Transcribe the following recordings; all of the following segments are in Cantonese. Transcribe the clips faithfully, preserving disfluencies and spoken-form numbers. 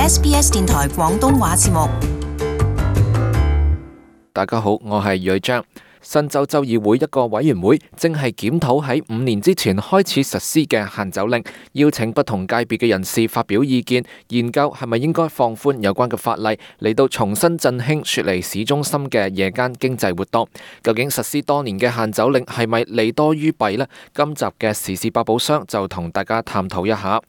S B S 電台廣東話節目。大家好，我係呂章。新州州議會一個委員會正係檢討喺五年之前開始實施嘅限酒令，邀請不同界別嘅人士發表意見，研究係咪應該放寬有關嘅法例，嚟到重新振興雪梨市中心嘅夜間經濟活動。究竟實施多年嘅限酒令係咪利多於弊呢？今集嘅時事百寶箱就同大家探討一下。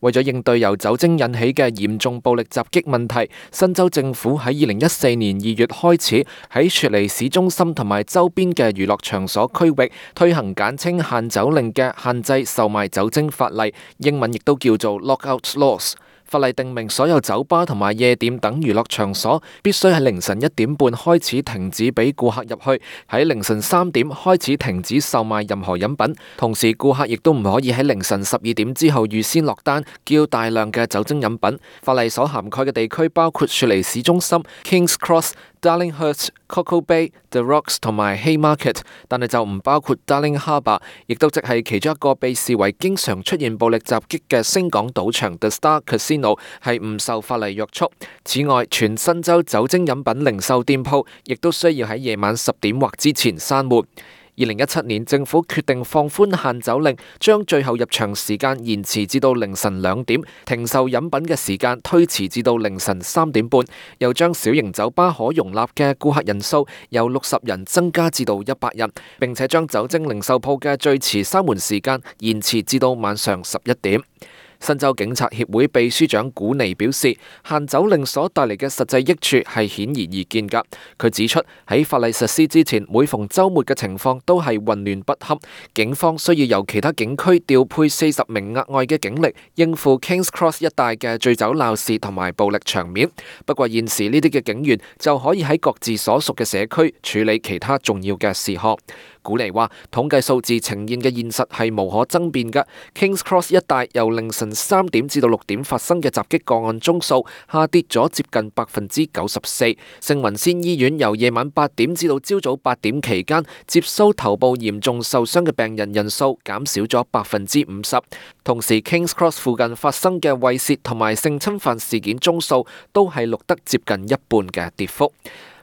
為咗應對由酒精引起嘅嚴重暴力襲擊問題，新州政府喺二零一四年二月開始喺雪梨市中心同埋周邊嘅娛樂場所區域推行簡稱限酒令嘅限制售賣酒精法例，英文亦都叫做 Lockout Laws。法例定明所有酒吧同埋夜店等娛樂場所必須喺凌晨一點半開始停止俾顧客入去，喺凌晨三點開始停止售賣任何飲品。同時，顧客亦都唔可以喺凌晨十二點之後預先落單叫大量嘅酒精飲品。法例所涵蓋嘅地區包括雪梨市中心、Kings Cross、Darlinghurst、Coco Bay、The Rocks 同埋 Haymarket， 但係就唔包括 Darling Harbour， 亦都即係其中一個被視為經常出現暴力襲擊嘅星港賭場 The Star Casino 係唔受法例約束。此外，全新州酒精飲品零售店鋪亦都需要喺夜晚十點或之前閂門。二零一七年，政府決定放寬限酒令，將最後入場時間延遲至到凌晨兩點，停售飲品嘅時間推遲至到凌晨三點半，又將小型酒吧可容納嘅顧客人數由六十人增加至到一百人，並且將酒精零售鋪嘅最遲閂門時間延遲至到晚上十一點。新州警察協會秘書長古尼表示，限酒令所帶嚟嘅實際益處係顯而易見㗎。佢指出，喺法例實施之前，每逢週末嘅情況都係混亂不堪，警方需要由其他警區調配四十名額外嘅警力，應付 Kings Cross 一帶嘅醉酒鬧事同埋暴力場面。不過現時呢啲嘅警員就可以喺各自所屬嘅社區處理其他重要嘅事項。古尼話，統計數字呈現嘅現實係無可爭辯嘅。Kings Cross 一帶由凌晨三點至到六點發生嘅襲擊個案宗數下跌咗接近百分之九十四。聖雲仙醫院由夜晚八點至到朝早八點期間接收頭部嚴重受傷嘅病人人數減少咗百分之五十。同時 Kings Cross 附近發生嘅猥褻同埋性侵犯事件宗數都係錄得接近一半嘅跌幅。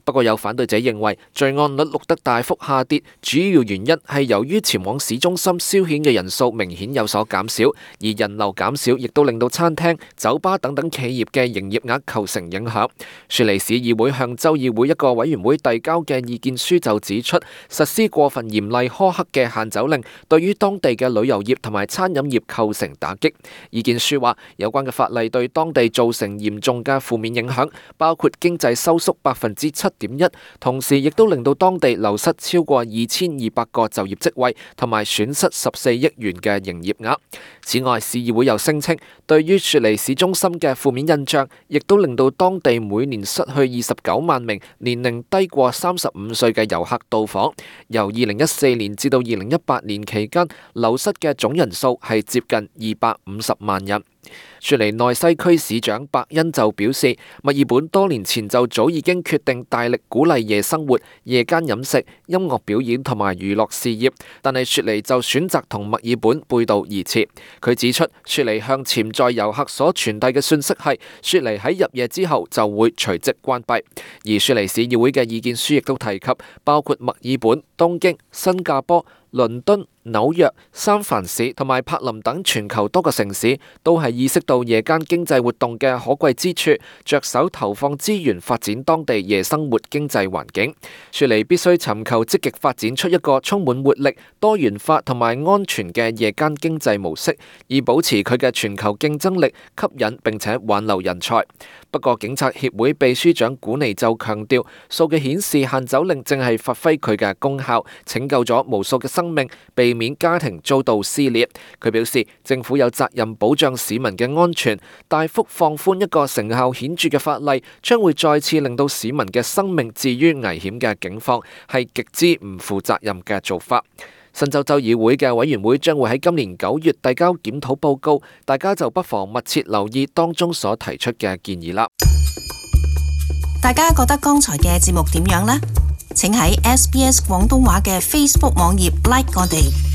不過有反對者認為罪案率錄得大幅下跌，主要原因係由於前往市中心消遣嘅人數明顯有所減少，而人流減少亦都令到餐廳、酒吧等等企業嘅營業額構成影響。雪梨市議會向州議會一個委員會遞交嘅意見書就指出，實施過分嚴厲苛刻嘅限酒令對於當地嘅旅遊業同埋餐飲業構成打擊。意見書話，有關嘅法例對當地造成嚴重嘅負面影響，包括經濟收縮百分之七點一，同時亦都令到當地流失超過二千二百個就業職位，同埋損失十四億元嘅營業額。此外，市議會又聲稱，對於雪梨市中心嘅負面印象，亦都令到當地每年失去二十九萬名年齡低過三十五歲嘅遊客到訪。由二零一四年至到二零一八年期間，流失嘅總人數係接近二百五十萬人。雪梨內西區市長伯恩就表示，墨爾本多年前就早已經決定大力鼓勵夜生活、夜間飲食、音樂表演同埋娛樂事業，但係雪梨就選擇同墨爾本背道而馳。佢指出，雪梨向潛在遊客所傳遞嘅訊息係，雪梨喺入夜之後就會隨即關閉。而雪梨市議會嘅意見書亦都提及，包括墨爾本、東京、新加坡、倫敦、紐約、三藩市同埋柏林等全球多個城市都係意識到夜間經濟活動嘅可貴之處，着手投放資源發展當地夜生活經濟環境。雪梨必須尋求積極發展出一個充滿活力、多元化同埋安全嘅夜間經濟模式，以保持佢嘅全球競爭力，吸引並且挽留人才。不過，警察協會秘書長古尼就強調，數據顯示限酒令正係發揮佢嘅功效，拯救咗無數嘅生命，避免家庭遭到撕裂。佢表示，政府有責任保障市民嘅安全，大幅放寬一個成效顯著嘅法例，將會再次令到市民嘅生命置於危險嘅境況，係極之唔負責任嘅做法。新州州議會嘅委員會將會喺今年九月遞交檢討報告，大家就不妨密切留意當中所提出嘅建議啦。大家覺得剛才嘅節目點樣呢？請喺 S B S 廣東話嘅 Facebook 網頁 like 我哋。